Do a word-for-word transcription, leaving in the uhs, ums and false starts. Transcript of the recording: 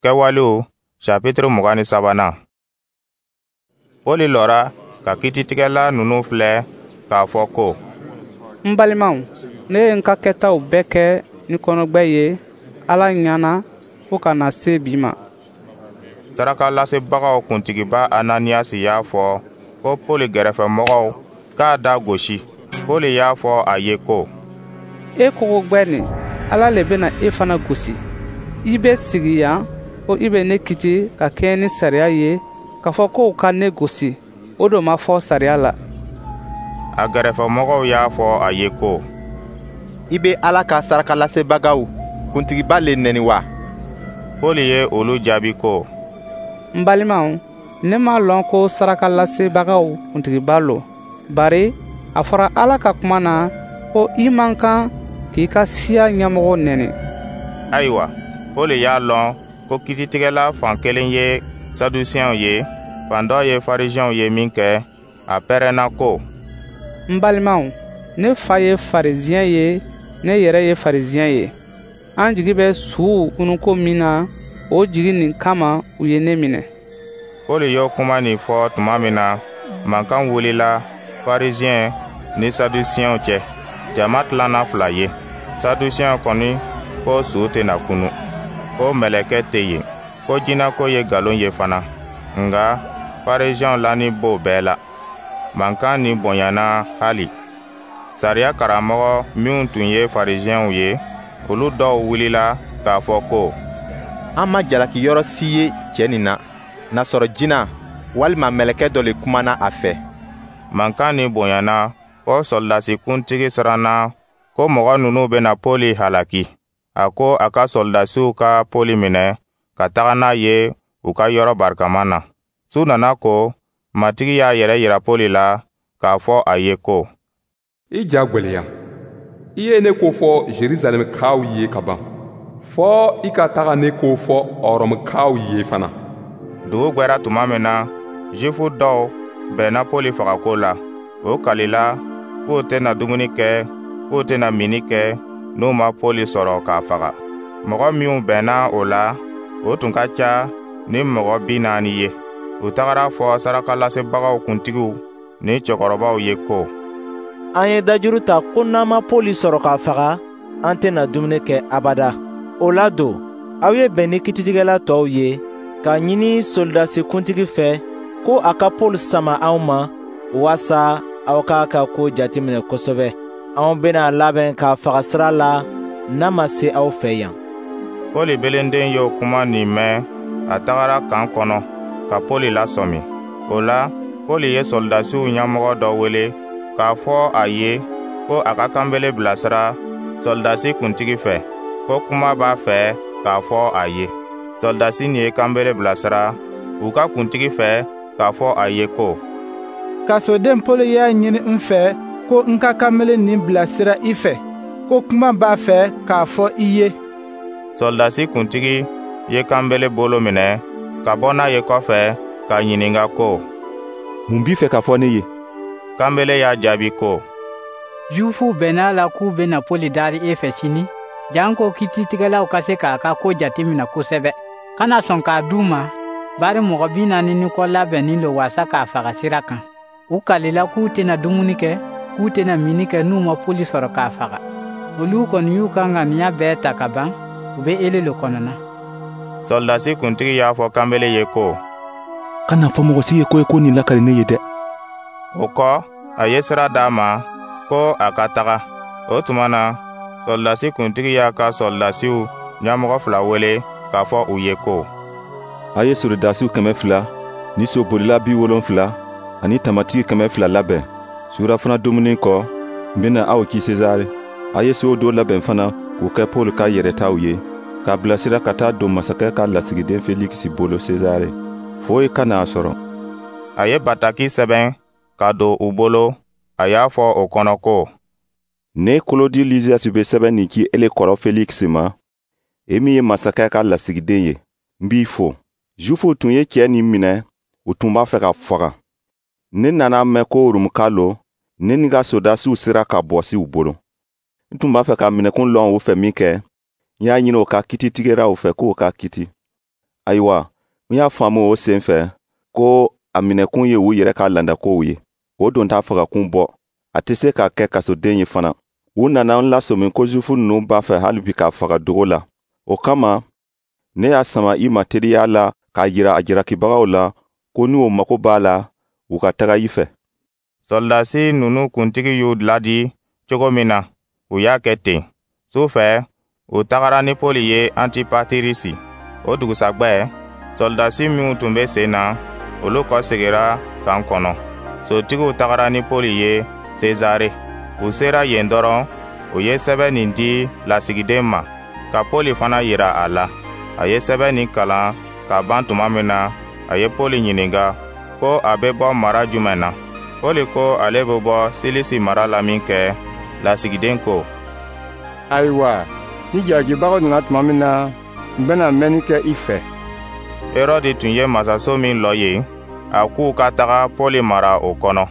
Kɛwalew chapitre mugan ni sabanan. Pɔli lɔra ka kititigɛla ninnu filɛ k'a fɔ ko: N balimaw, ne ye n ka kɛtaw bɛɛ kɛ ni kɔnɔgbɛ ye Ala ɲɛ na fo ka na se bi ma. Sarakalasebagaw kuntigiba Ananiyasi y'a fɔ ko Pɔli gɛrɛfɛmɔgɔw k'a da gosi. Pɔli y'a fɔ a ye ko: E kogogbɛ nin, Ala le bena e fana gosi. I bɛ sigi yan ko i bɛ ne kiti ka kɛɲɛ ni sariya ye k'a fɔ ko u ka ne gosi, o don ma fɔ sariya la. A gɛrɛfɛmɔgɔw y'a fɔ a ye ko: I be Ala ka sarakalasebagaw kuntigiba le neni wa? Pɔli ye olu jaabi ko: N balimaw, ne m'a lɔn ko sarakalasebagaw kuntigiba lo, bari a fɔra Ala ka kuma na ko i man kan k'i ka siya ɲɛmɔgɔ neni. Ayiwa, Pɔli y'a lɔn ko kititigɛla fan kelen ye Sadusiyɛnw ye, fan dɔ ye Farisiɛnw ye minkɛ, a pɛrɛnna ko: N balimaw, ne fa ye Farisiyɛn ye, ne yɛrɛ ye Farisiyɛn ye. An jigi bɛ suw kununko min na, o jigi nin kama u ye ne minɛ. Pɔli y'o kuma nin fɔ tuma min na, mankan wulila Farisiyɛn ni Sadusiyɛnw cɛ. Jama tilanna fila ye. Sadusiyɛnw kɔni ko su tɛna kunu, ko mɛlɛkɛ tɛ yen, ko jinɛko ye nkalon ye fana. Nka Farisiyɛnw lani b'o bɛɛ la. Mankan nin bonyana hali. Sariya karamɔgɔ minw tun ye Farisiyɛnw ye, olu dɔw wulila k'a fɔ ko: An ma jalaki yɔrɔ si ye cɛ nin na, nasɔrɔ jina walima mɛlɛkɛ dɔ le kumana a fɛ. Mankan nin bonyana fɔ sɔrɔdasi kuntigi siranna ko mɔgɔ ninnu bɛna Pɔli halaki. A ko a ka sɔrɔdasiw ka Pɔli minɛ ka taga n'a ye u ka yɔrɔ barikama na. Su nana ko, Matigi y'a yɛrɛ yira Pɔli la k'a fɔ a ye ko: I ja gwɛlɛya. I ye ne ko fɔ Jerusalɛmkaw ye ka ban, fɔ i ka taga ne ko fɔ Ɔrɔmukaw ye fana. Dugu gwɛra tuma min na, Zifu dɔw bɛnna Pɔli fagako la. O kalila k'u tɛna dumuni kɛ, k'u tɛna minni kɛ n'u ma Pɔli sɔrɔ k'a faga. Mɔgɔ minw bɛnna o la, o tun ka ca ni mɔgɔ bi naani ye. U tagara fɔ sarakalasebagaw kuntigiw ni cɛkɔrɔbaw ye ko: An ye dajuru ta ko n'an ma Pɔli sɔrɔ k'a faga, an tɛna dumuni kɛ abada. O la don, aw ye bɛn ni kititigɛla tɔw ye k'a ɲini solidasi kuntigi fɛ ko a ka Pɔli sama anw ma, waasa aw k'a ka ko jateminɛ kosɛbɛ. Anw bena a labɛn k'a faga sira la n'a ma se aw fɛ yan. Pɔli belenden y'o kuma nin mɛn, a tagara kan kɔnɔ ka Pɔli lasɔmi. O la, Pɔli ye sɔrɔdasiw ɲɛmɔgɔ dɔ wele k'a fɔ a ye ko a ka kanbele bilasira sɔrɔdasi kuntigi fɛ, ko kuma b'a fɛ k'a fɔ a ye. Sɔrɔdasi nin ye kanbele bilasira u ka kuntigi fɛ k'a fɔ a ye ko: Kasoden Pɔli y'a ɲini n fɛ ko n ka kanbele nin bilasira i fɛ, ko kuma b'a fɛ k'a fɔ i ye. Sɔrɔdasi kuntigi ye kanbele bolo minɛ ka bɔ n'a ye kɔfɛ k'a ɲininka ko: Mun b'i fɛ k'a fɔ ne ye? Kanbele y'a jaabi ko: Zuwifuw bɛnna a la k'u bena Pɔli dari e fɛ sini, janko kititigɛlaw ka se k'a ka ko jateminɛ kosɛbɛ. Kana sɔn k'a d'u ma, bari mɔgɔ bi naani ni kɔ labɛnnin lo waasa k'a faga sira kan. U kalila k'u tɛna dumuni kɛ, k'u tɛna minni kɛ n'u ma Pɔli sɔrɔ k'a faga. Olu kɔni y'u ka ŋaniya bɛɛ ta ka ban, u bɛ ele le kɔnɔna. Sɔrɔdasi kuntigi y'a fɔ kanbele ye ko: Kana fɔ mɔgɔ si ye ko i ko nin lakali ne ye dɛ. O kɔ, a ye sira d'a ma ko a ka taga. O tuma na, sɔrɔdasi kuntigi y'a ka sɔrɔdasiw ɲɛmɔgɔ fila wele k'a fɔ u ye ko: A ye sɔrɔdasiw kɛmɛ fila ni sobolila bi wolonfila ani tamatigi kɛmɛ fila labɛn. Surafana dumuni kɔ, n bena aw ci Sezare. A ye sow dɔ labɛn fana k'o kɛ Pɔli ka yɛrɛtaw ye, k'a bilasira ka taa don masakɛ ka lasigiden Felikisi bolo Sezare. Foyi kana a sɔrɔ. A ye bataki sɛbɛn ka don u bolo, a y'a fɔ o kɔnɔ ko: Ne Kolodi Liziyasi be sɛbɛn nin ci ele kɔrɔ Felikisi ma, e min ye masakɛ ka lasigiden ye, n b'i fo. Zuwifuw tun ye cɛɛ nin minɛ, u tun b'a fɛ k'a faga. Ne nana mɛn ko Romuka lo, ne ni ka sɔrɔdasiw sera ka bɔsi u bolo. N tun b'a fɛ ka minɛkun lɔn u fɛ minkɛ, n y'a ɲini o ka kititigɛlaw fɛ k'o ka kiti. Ayiwa, n y'a faamu o sen fɛ ko a minɛkun ye u yɛrɛ ka landakow ye. O don t'a fagakun bɔ, a tɛ se ka kɛ kasoden ye fana. U nana n lasɔmi ko Zuwifu ninnu b'a fɛ hali bi k'a faga dogo la. O kama, ne y'a sama i ma teliya la k'a jira a jalakibagaw la ko ni o mago b'a la, u ka taga i fɛ. Sɔrɔdasi ninnu kuntigi y'u ladi cogo min na, u y'a kɛ ten. Su fɛ, u tagara ni Poli ye Antipatirisi. O dugusagwɛ, sɔrɔdasi minw tun bɛ sen na, olu kɔsegira kan kɔnɔ. Sotigiw tagara ni Poli ye Sezare. U sera yen dɔrɔn, u ye sɛbɛn nin di lasigiden ma, ka Poli fana yira a la. A ye sɛbɛn nin kalan ka ban tuma min na, a ye Poli ɲininka ko a bɛ bɔ mara jumɛn na. Poli ko ale bɛ bɔ Silisi mara la min kɛ, lasigiden ko: «Ayiwa, ni jalakibagaw nana tuma min na, n bɛna mɛnni kɛ i fɛ.» Herɔdi tun ye masaso min lɔ yen, a k'u ka taga Poli mara o kɔnɔ.